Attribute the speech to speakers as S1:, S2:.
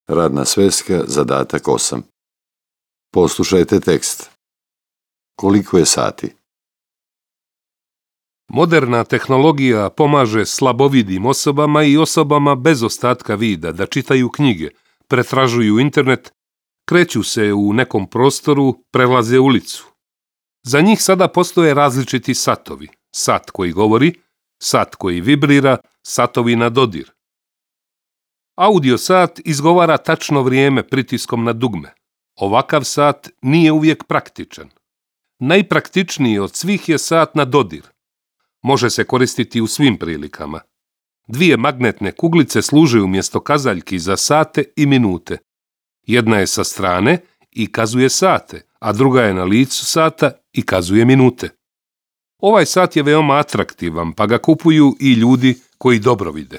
S1: Radna sveska, zadatak 8. Poslušajte tekst. Koliko je sati?
S2: Moderna tehnologija pomaže slabovidim osobama i osobama bez ostatka vida da čitaju knjige, pretražuju internet, kreću se u nekom prostoru, prelaze ulicu. Za njih sada postoje različiti satovi. Sat koji govori, sat koji vibrira, satovi na dodir. Audio sat izgovara tačno vrijeme pritiskom na dugme. Ovakav sat nije uvijek praktičan. Najpraktičniji od svih je sat na dodir. Može se koristiti u svim prilikama. 2 magnetne kuglice služe umjesto kazaljki za sate i minute. Jedna je sa strane i kazuje sate, a druga je na licu sata i kazuje minute. Ovaj sat je veoma atraktivan, pa ga kupuju i ljudi koji dobro vide.